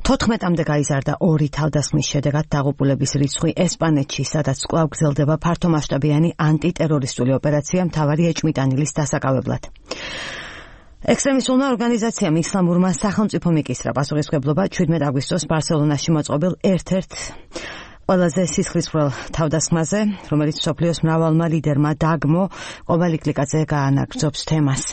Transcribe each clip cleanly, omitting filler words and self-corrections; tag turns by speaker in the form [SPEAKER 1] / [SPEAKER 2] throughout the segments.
[SPEAKER 1] 14-მდე გაიზარდა 2 თავდასხმის შედეგად დაღუპულების რიცხვი ესპანეთში, სადაც კვლავ გრძელდება ფართომასშტაბიანი ანტიტერორისტული ოპერაცია მთავარი ეჭვმიტანილის დასაკავებლად. ექსტრემისტულმა ორგანიზაციამ ისლამურმა სახელმწიფო მიკისრა პასუხისმგებლობა 17 აგვისტოს ბარსელონაში მოწყობილ ერთ-ერთ ყველაზე სისხლისმღვრელ თავდასხმაზე, რომელიც მსოფლიოს მრავალმა ლიდერმა დაგმო ყობალიკლიაკაძე გაანაგრძობს თემას.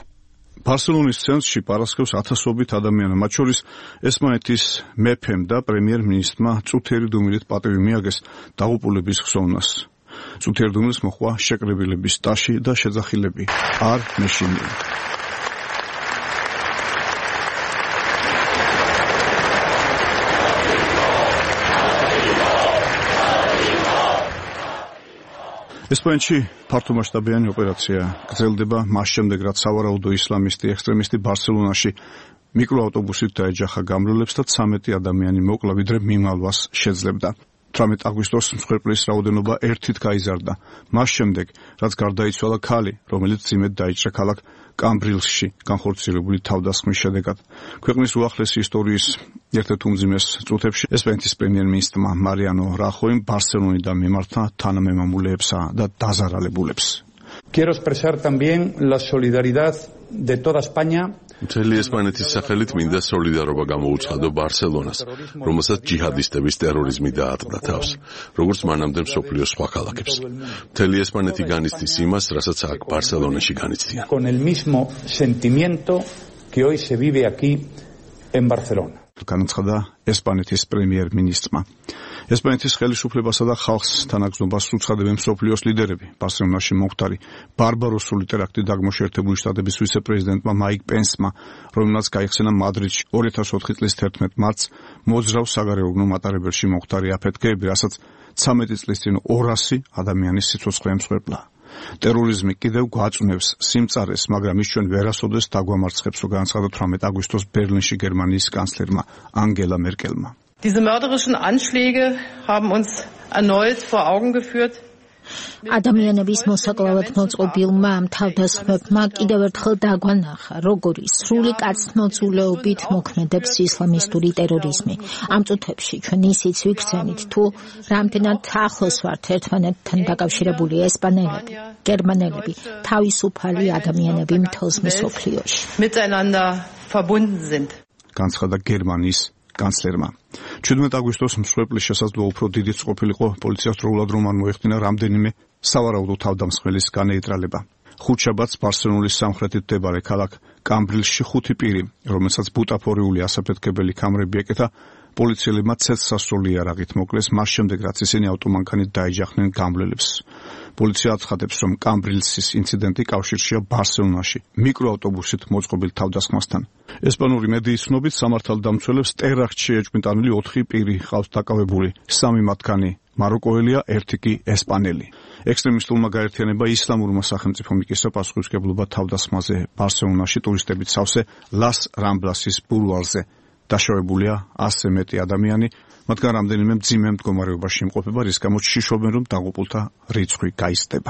[SPEAKER 2] ბარსელონის ცენტრში პარასკევს ათასობით ადამიანი, მათ შორის ესპანეთის მეფემ და პრემიერ-მინისტრმა წუთიერი დუმილით პატივი მიაგეს დაღუპულების ხსოვნას. წუთიერ დუმილს მოჰყვა შეკრებილების ტაში და შეძახილები არ მეშინია. ესპანეთში ფართომასშტაბიანი ოპერაცია გრძელდება მას შემდეგ, რაც სავარაუდო ისლამისტი ექსტრემისტი ბარსელონაში მიკროავტობუსით დაეჯახა გამრავლებს და 13 ადამიანი მოკლა, ვიდრე მიმალვას შეძლებდა. 18 აგვისტოს მსხვერპლის რაოდენობა 1-ით გაიზარდა. მას შემდეგ, რაც გარდაიცვალა ქალი, რომელიც ძიმედ დაიჭრა ქალაქ კამბრილსში განხორციელებული თავდასხმის შედეგად. ქვეყნის უახლესი ისტორიის ერთ-ერთ უმძიმეს წუთებში ესპანეთის პრემიერ-მინისტრმა მარიანო რახოიმ ბარსელონიდან მიმართა თანამემამულეებსა და დაზარალებულებს.
[SPEAKER 3] Quiero expresar también la solidaridad de toda España.
[SPEAKER 4] მთელი ესპანეთის სახელით მინდა სოლიდარობა გამოუცხადო ბარსელონას, რომელსაც ჯიჰადისტების ტერორიზმი დაატყდა თავს, როგორც მანამდე მსოფლიოს სხვა ქალაქებს. მთელი ესპანეთი განიცდის იმას, რასაც აქ ბარსელონაში განიცდიან.
[SPEAKER 3] Con el mismo sentimiento que hoy se vive aquí en Barcelona.
[SPEAKER 2] განაცხადა ესპანეთის პრემიერ-მინისტრმა. ესპანეთის ხელისუფლებასა და ხალხს თანაგზნობას უცხადებენ მსოფლიოს ლიდერები. ბარსელონაში მომხდარი ბარბაროსული ტერაქტი დაგმო შეერთებული შტატების ვიცე-პრეზიდენტმა მაიკ პენსმა, რომელმაც გაიხსენა მადრიდში 2004 წლის 11 მარტს მოძრავ საგარეუბნო მატარებელში მომხდარი აფეთქეები, რასაც 13 წლის წინ 200 ადამიანის სიცოცხლე ემსხვერპლა. ტერორიზმი კიდევ გვაწვნევს სიმწარეს, მაგრამ ის ჩვენ ვერასოდეს დაგვამარცხებს, რო განაცხადა 18 აგვისტოს ბერლინში გერმანიის კანცლერმა ანგელა მერკელმა.
[SPEAKER 5] Diese mörderischen Anschläge haben uns erneut vor Augen geführt.
[SPEAKER 6] ადამიანების მოსაკლავად მოწყობილმა ამ თავდასხმებმა კიდევ ერთხელ დაგვანახა, როგორი სრული კაცთმოძულეობით მოქმედებს ისლამისტური ტერორიზმი. ამ წუთებში ჩვენ ისიც ვიგრძენით, თუ რამდენად ახლოს ვართ ერთმანეთთან დაკავშირებული ესპანელები, გერმანელები, თავისუფალი ადამიანები მთელს მსოფლიოში.
[SPEAKER 5] Miteinander verbunden sind.
[SPEAKER 2] განცხადა გერმანიის კანცლერმა. 17 აგვისტოს მსხვერპლის შესაძლო უფრო დიდიც ყოფილიყო პოლიციას დროულად რომ არ მოეხდინა რამდენიმე სავარაუდო თავდამსხმელის განეიტრალება. ხუთშაბათს ბარსელონის სამხრეთით მდებარე ქალაქ კამბრილსში 5 პირი, რომელსაც ბუტაფორიული ასაფეთქებელი კამრები ეკეთა, პოლიციელებმა ცეცხლსასროლი იარაღით მოკლეს, მას შემდეგ რაც ისინი ავტომანქანით დაეჯახნენ გამრავლებს. პოლიცია აცხადებს, რომ კამბრილსის ინციდენტი კავშირშია ბარსელონაში მიკროავტობუსით მოწყობილ თავდასხმასთან. ესპანური მედიის ცნობით სამართალდამცველებს ტერაქტში ეჭვმიტანილი 4 პირი ყავს დაკავებული, 3 მათგანი მაროკოელია, 1 კი ესპანელი. ექსტრემისტულმა გაერთიანება ისლამურმა სახელმწიფო მიკისრა პასუხისმგებლობა თავდასხმაზე ბარსელონაში ტურისტებით სავსე ლას რამბლასის ბულვარზე. დაშავებულია 100-ზე მეტი ადამიანი, მათგან რამდენიმე მძიმე მდგომარეობაში იმყოფება, რის გამოც შიშობენ, რომ დაღუპულთა რიცხვი გაიზრდება.